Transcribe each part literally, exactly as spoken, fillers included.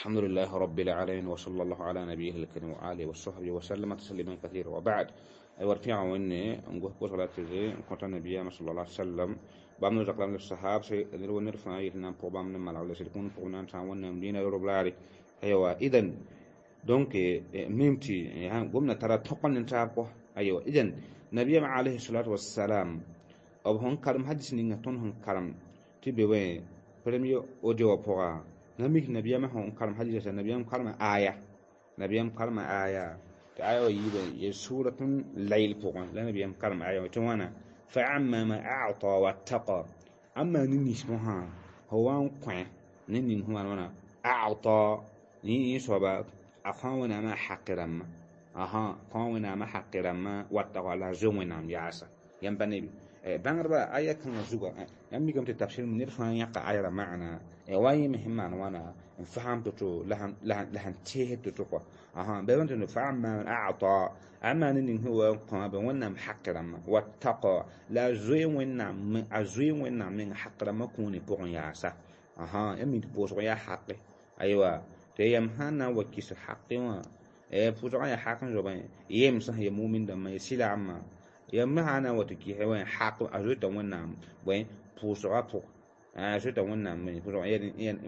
الحمد لله رب العالمين وصلى الله على نبيه الكريم وآله وصحبه وسلم تسليما كثيرا وبعد أيوة رفيع وإني نقول بوس على تزي كنت النبي صلى الله عليه وسلم بام نزق لهم الصحاب سي نرو نرفع يتنام بوبام نمال على سيكون بونان تاون مدينة يوروبلاري أيوة إذن donc mimti gomna tara tokon ntaab أيوة إذن نبي عليه الصلاة والسلام b sẽn karem hadis ninga tõnd sẽn karem tɩ be wẽ premier audio wã pʋga na mik nabiyaamã sẽn karem hadisa nabiyaam karema aya nabiyaam karema aya tɩ aya wã yiibã ye suratun layl pʋgẽ la nabiyaam karem aya wã tɩ wãna فأما من أعطى واتقى أما نينس مها هو قوي نين هو وانا أعطى ني صوبا أخونا ما حقرم أها خونا ما حقرم واتقى لا زومنا ياسا ينبني bãngdba aya kãngã zuga yãmb mikame tɩ tafsir ned fãa yãka ayra maana wa yẽ me sẽn maan wãna n fasam to-to la sẽn teesd to-to kɔa asa bɩ tɩ فأما من أعطى أما ning sẽn wa n kõ bɩ wẽnnaam haq rãmbã واتقى la a zoe wẽnnaam a zoe wẽnnaam meng haq rãmbã kũuni pʋgẽ yaasa asa yãmb mi tɩ pʋʋsg yaa haqe aywa tɩ yam sã n na n wa kis haqe wã pʋʋsgã yaa haq n zoabẽ yem sã ya mumin dãmbã ya sɩlaamã yam sã na n wa tɩ kɩsɛ wã haq a zoeta wẽnnaam bõe pʋʋsgã pʋgẽ a zoeta wẽnnaam pʋʋsgã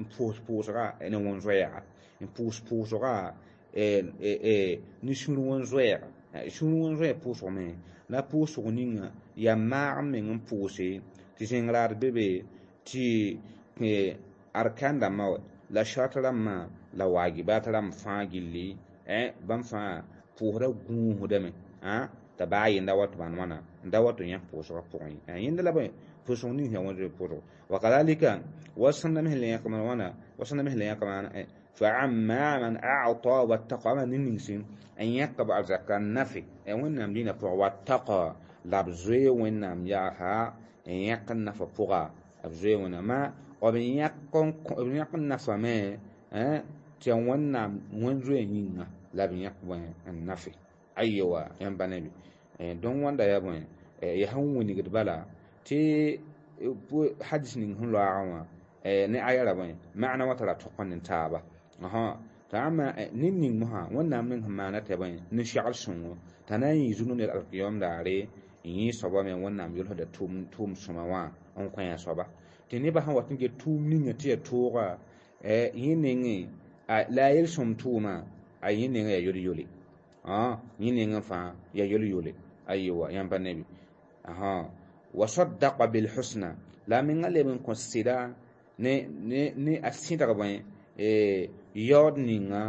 n pʋʋs pʋʋsga ne wẽn-zoɛɛga n pʋʋs pʋʋsga ne sũur wẽn-zoɛɛga sũur wẽn-zoɛɛg pʋʋsgme la pʋʋsg ninga yaa maag n meng n pʋʋse tɩ zẽng raad be be tɩ arkan dãmbã la shart rãmbã la wajibat rãmb fãa gilli bãmb fãa pʋʋsda gũusdame t'a baa yẽnda wa tɩ maan wãna n da wa tɩ yã pʋʋsgã pʋgẽ yẽnda la bõe pʋʋsg ning yaa wẽn pʋʋsg وكذلك وصلنا مثل يقم وانا وصلنا مثل يقم فأما من أعطى واتقى ما نينسين أن يقب الزكاة النفي وين دينا بوغ واتقى لابزوي وين ياها أن يقن نفى بوغا أبزوي وين ما وبن يقن وبن يقن نفى ما تي وين وين زوي نينا لابن يقن النفي أيوة ينبني دون وان دا يبون يهون وينيغد bala tɩ hadis ning sẽn loaagã wã ne aya ra bõe maana wã tara tʋk n taaba t'a ama ned ning mosã wẽnnaam meng sẽn maana tɩ bõe nin-segl sõngo t'a na n yɩ zũnu ned alkiyom daare n yẽ soaba me wẽnnaam yʋlsda tʋʋm sõma wã n kõ a soaba tɩ nebã sẽn wat n get tʋʋm ninga tɩ yaa tooga yẽ nengẽ la a yel-sõm tʋʋma a yẽ nengã yaa yol-yole yẽ nengẽ fãa yaa yol-yole aywa yãmb pa nebi وصدق بالحسنى la menga leb n kõ sɩda ne ne ne a sɩdg bõe yaood ninga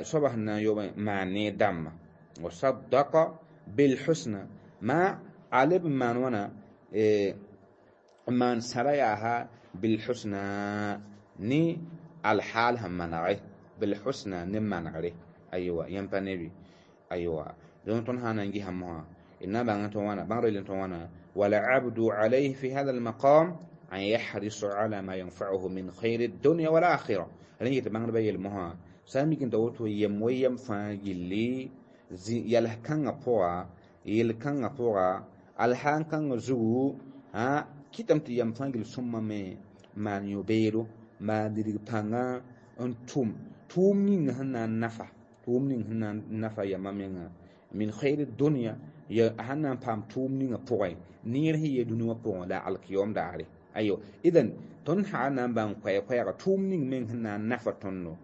soaba sẽn na n yob maan ne dãmbã وصدق بالحسنى ma a leb n maan wãna n maan sãra yaasa بالحسنى ne alhaal sẽn manege بالحسنى ne manegre aywa yãmb pa nebi aywa donc tõnd sã n na n gisa mosã na bãng tɩ wãna bãngr yel tɩ wãna والعبد عليه في هذا المقام أن يحرص على ما ينفعه من خير الدنيا والآخرة لن يتبعن بي المها سامي كنت أوتو يم ويم فاجلي يله كان بوا يل كان بوا الحان كان زو ها كتم تيم فاجل ثم ما ما يبيرو ما دري بانغا أنتم توم نين هنا نفع توم نين هنا نفع يا مامينا من خير الدنيا ya sãn na n paam tʋʋm ninga pʋgẽ neer sẽn yee dũni wã pʋgẽ la alkiyom daare ayo idan tõnd sã na n bãng koɛɛ-koɛɛga tʋʋm ning meng sẽn na n nafa tõndo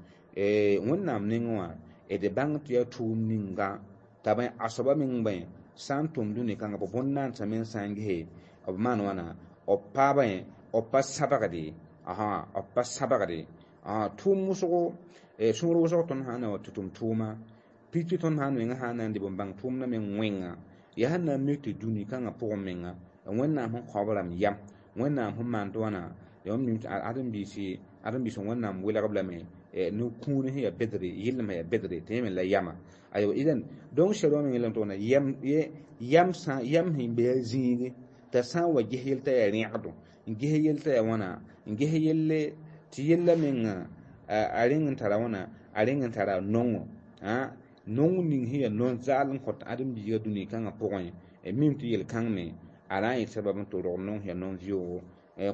wẽnnaam nengẽ wã d bãng tɩ yaa tʋʋm ninga t'a bõe a soaba meng bõe sã n tʋm dũni kãnga b bõn-naandsã meng sã n gese b maan wãna b pa bõe b pa sabgde asa b pa sabgde tʋʋm wʋsgo sũur wʋsg tõnd sã n na wa tɩ tʋm tʋʋma pipi tõnd sã n mengã sã n na n dɩ b bãng tʋʋmdã meng wẽnga yaa sẽn na n mik tɩ dũni kãngã pʋgẽ menga wẽnnaam sẽn kao b rãmb yam wẽnnaam sẽn maan tɩ wãna ãdem-biisi ãdem-biis wẽnnaam welg b lame ne kũuni sẽn yaa bedre yɩllem yaa bedre tɩ yẽ me la yama aywa idan donc sɛd wã meng yelame tɩ wãna yam yam sã yam sẽn be a zĩige t'a sã n wa ges yell t'a yaa rẽgdo n ges yell t'a yaa wãna n ges yelle tɩ yella menga a rẽng n tara wãna a rẽng n tara nongo nong ning sẽn yaa non-zaal n kõt ãdem-biiga dũni kãngã pʋgẽ mim tɩ yel-kãng me a na n yɩ sabab n tɩ rog nong sẽn yaa non-vɩoogo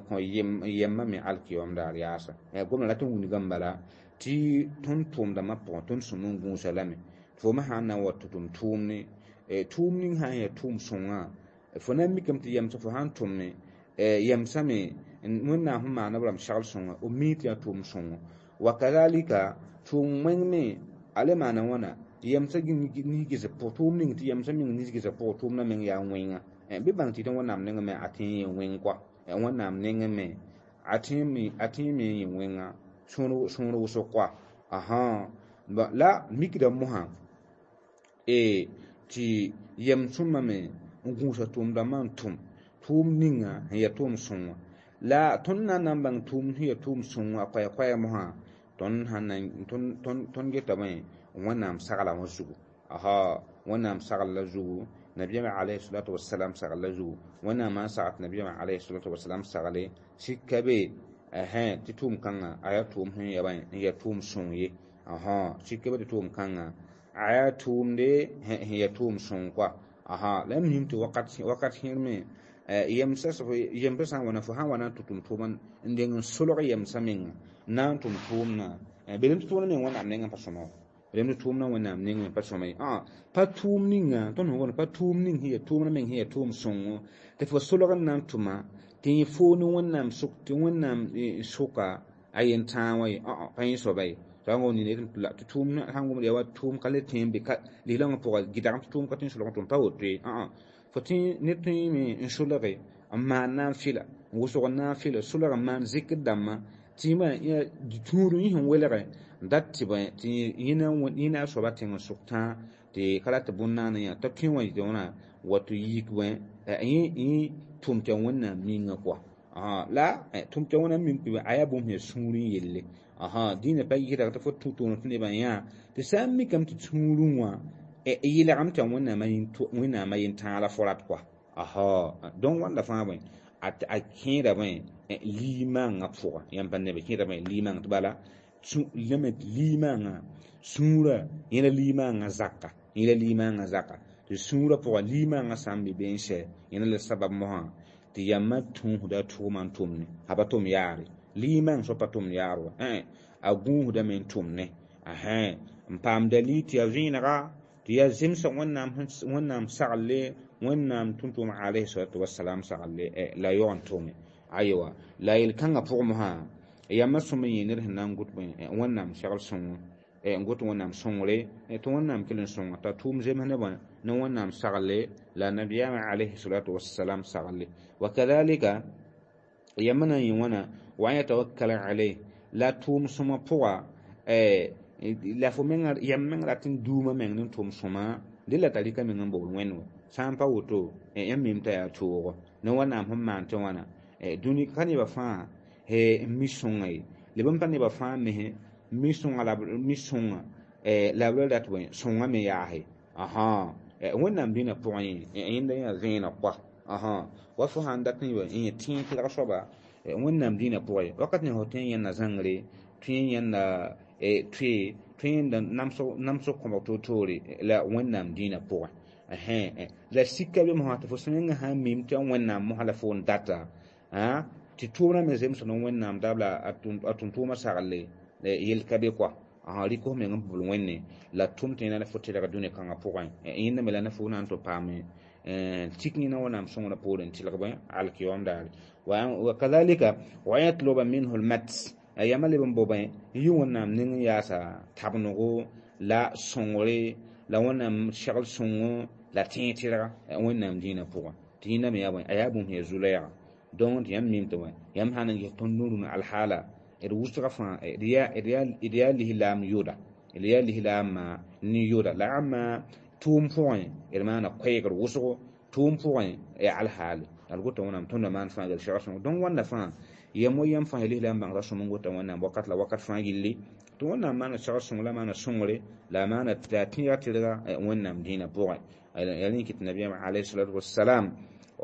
kõ yɛmma me alkiyom daar yaasa gomda rat n wilgame bala tɩ tõnd tʋʋmdãmbã pʋgẽ tõnd sũm n gũusa lame fo me sãn na n wa tɩ tʋm tʋʋmne tʋʋm ning sã n yaa tʋʋm sõngã fo na n mikame tɩ yɛmsã fo sãn tʋmne yɛmsã me wẽnnaam sẽn maan b rãmb segl sõnga b mi tɩ yaa tʋʋm sõngo wa kazalika tʋʋm wẽng me a le maana wãna yɛmsã nis-gɩsb pʋg tʋʋm ning tɩ yɛmsã meng nis-gɩsb pʋgẽ tʋʋmdã meng yaa wẽnga bɩ bãng tɩ tɩ wẽnnaam nengẽ me a tẽe yẽ wẽng kɔa wẽnnaam nengẽ me a tẽe me yẽ wẽnga sõor wʋsg kɔa ahan la mikda mosã tɩ yɛm sõma me n gũusa tʋʋmdãmbã n tʋm tʋʋm ninga sẽn yaa tʋʋm sõngo la tõnd na n na n bãng tʋʋm sẽn yaa tʋʋm sõngo a koɛɛ-koɛɛ mosã tõnd sãn na tõnd getame wẽnnaam sagla wã zugu aha wẽnnaam sagl la zugu nabiyaamã alayhi salatu wasalam sagl la zugu wẽnnaam n sagd nabiyaamã alayhi salatu wasalam sagle sika be tɩ tʋʋm kãngã a yaa tʋʋm sẽn yaa n yaa tʋʋm sõng ye aha sika be tɩ tʋʋm kãngã a yaa tʋʋmde sẽn yaa tʋʋm sõng kɔa aha la m mim tɩ wakat wakat sẽer me yɛmsã yɛmsã sã n wana fo sã n wa na n tʋ tʋm tʋʋma n deng n solg yɛmsã menga na n tʋm tʋʋmdã belem tɩ tʋʋmdã meng wẽnnaam nengẽ pa sõma belem tɩ tʋʋmdã wẽnnaam nengẽ pa sõma ye pa tʋʋm ninga tõnd sẽn gomd pa tʋʋm ning sẽn yaa tʋʋmdã meng sẽn yaa tʋʋm sõngo tɩ fo solg n na n tʋma tɩ yẽ foo ne wẽnnaam sʋk tɩ wẽnnaam sʋka a yen-tãag wã ye pa yẽ soaba ye tɩ tʋʋm sãn gomd yaa wa tʋʋm ka le tẽ n be lislaoongã pʋga gɩdgame tɩ tʋʋm ka tõe n solg n tʋm pa woto ye fo tẽ ned tõe n solge n maan naafɩla n wʋsg naafɩla solg n maan zikr dãmbã tɩ tũud yẽ sẽn welge n dat tɩ bõe tɩ yẽ a soaba tẽng n sʋk tãa tɩ ka rat tɩ bõn-naana yã t'a tõe wã yetɩ wãna wa tɩ yik bõe yẽ tʋm tɩ wẽnnaam ninga kɔa la tʋm tɩ wẽnnaam mim tɩ a yaa bũmb sẽn sũurẽ yelle dĩinã pa yɩsda tɩ fo tũ toonẽ tɩ nebã yã tɩ sã n mikame tɩ sũurẽ wã yɩlgame tɩ wẽnnaamã yen-tãag la fo rat kɔa donc wãnda fãa bõe a kẽeda bõe liimãngã pʋga yãmb pa nebe kẽeda bõe liimãng tɩ bala lame liimãngã sũurã yẽla liimãngã zaka yẽla liimãngã zaka tɩ sũurã pʋga liimãngã sã n be be n sɛ yẽna la sabab mosã tɩ yãmbã tũusda tʋʋma n tʋmne a pa tʋm yaare liimãng soab pa tʋmd yaar wa a gũusdame n tʋmne n paam dalil tɩ yaa vẽenega tɩ yaa zemsg wẽnnaam wẽnnaam sagle wẽnnaam tʋm-tʋʋm alayhi salatu wasalam sagle la yaoog n tʋme aywa la yel-kãngã pʋgẽ mosã yãmbã sõm n yẽ ned sẽn na n gʋt wẽnnaam segl sõngo n got wẽnnaam sõngre tɩ wẽnnaam kell n sõnga t'a tʋʋm zems ne bõe ne wẽnnaam sagle la nabiyaamã alayhi salatu wasalam sagle wa kadhalika yãmba na n yẽ wãna wa an yatawakkala alayh la tʋʋm sõma pʋga la fo menga yãmb meng rat n duuma meng ne tʋʋm sõma dẽ la tarika meng n bobl wẽnd wa sã n pa woto yãmb mim t'a yaa toogo ne wẽnnaam sẽn maan tɩ wãna dũni ka nebã fãa n mi sõnga ye leb n pa nebã fãa mese mi sõnga la mi sõnga la b la rat bõe sõnga me yaase ãhã wẽnnaam dĩnã pʋgẽ yẽ yẽnda yaa vẽeneg kɔa ãhã wa fo sãn dat n yẽ tẽeg tɩlg soaba wẽnnaam dĩnã pʋgẽ wakat ne fo tõe n yẽnda zãngre tõe n yẽnda tõe tõe yẽnda namsg kõbg toor-toore la wẽnnaam dĩnã pʋgẽ la sika be mosã tɩ fo sẽn mengã sã n mim tɩ wẽnnaam mosã la fo n data tɩ tʋʋmdã me zemsd ne wẽnnaam dabla a tʋm-tʋʋmã sagle yel ka be kɔa rɩk f meng n bobl wẽnne la tʋm tɩ yẽna la fo tɩlg dũni kãngã pʋgẽ yẽnda me la ne fo na n tɩ paame tik yẽna wẽnnaam sõngrã poorẽ tɩlg bõe alkiyom daare wa kadhalika wa yatluba minhu lmat yãmba leb n bobẽ n yɩ wẽnnaam ning n yaasa tabnego la sõngre la wẽnnaam segl sõngo la tẽeg tɩlga wẽnnaam dĩinã pʋgẽ tɩ yẽnda me yaa bõe a yaa bũmb sẽn yaa zu-lɛɛga donc tɩ yãmb mim tɩ bõe yãmb sã n ges tõnd rũnã alhaala d wʋsga fãa d yaa lislaam yʋda d yaa lislaamã ne yʋda la ãmba tʋʋm pʋgẽ d maana koɛɛgr wʋsgo tʋʋm pʋgẽ yaa alhaale la d gota wẽnnaam tõndã maan fãa gel segl sõngo donc wãnda fãa yam wa yãmb fãa ya lislaam bãngda sõm n gota wẽnnaam wakat la wakat fãa gilli tɩ wẽnnaam maana segl sõng la maana sõngre la maana la tẽega tɩlga wẽnnaam dĩinã pʋgẽ yaa rẽ kɩt nabiyaamã alayhi salatu wasalam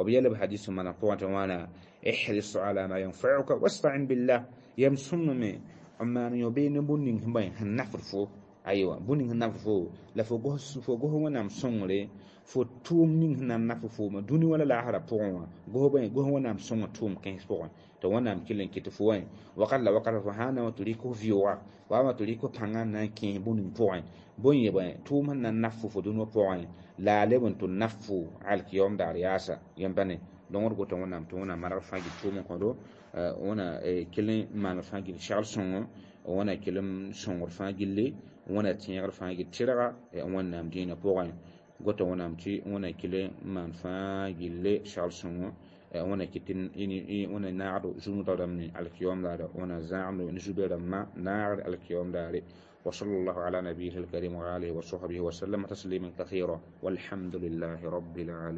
b yɛl b hadis n maana pʋgẽ tɩ wãna ihris ala ma yanfauka wasta'in billah yam sõmame n maan yõ bee ne bũn ning sẽn bõe sẽn nafd fo aywa bũn ning sẽn nafd fo la fo gos fo gos wẽnnaam sõngre fo tʋʋm ning sẽn na n nafd fooma dũni wala laasrã pʋgẽ wã gos bõe gos wẽnnaam sõnga tʋʋm kãens pʋgẽ Tɩ Wẽnnaam kell n kɩt fo wã wakat la wakat fo sã n na n tɩ rɩk f vɩʋʋga wa tɩ rɩk f pãngã n na n kẽes bũmb ning pʋgẽ bõe yẽ bõe tʋʋm sẽn na n naf fo fo dũniyã pʋgẽ la a leb n tɩ naf fo alkiyom daar yaasa yẽmba ne donc d gota Wẽnnaam tɩ Wẽnnaam maneg fãa gil tʋʋm n kõdo wẽna kell n maan fãa gil segl sõngo wẽna kell n sõngd fãa gilli wẽna tẽegr fãa gil tɩrga Wẽnnaam dĩinã pʋgẽ gota Wẽnnaam tɩ wẽna kell n maan fãa gilli segl sõngo wẽna kɩt wẽna naagdo zũnudg rãmb ne alkiyom daare wẽna zãagdo ne zu-soab rãmbã naagd alkiyom daare. وصلى الله على نبيه الكريم وآله وصحبه وسلم تسليما كثيرا، والحمد لله رب العالمين.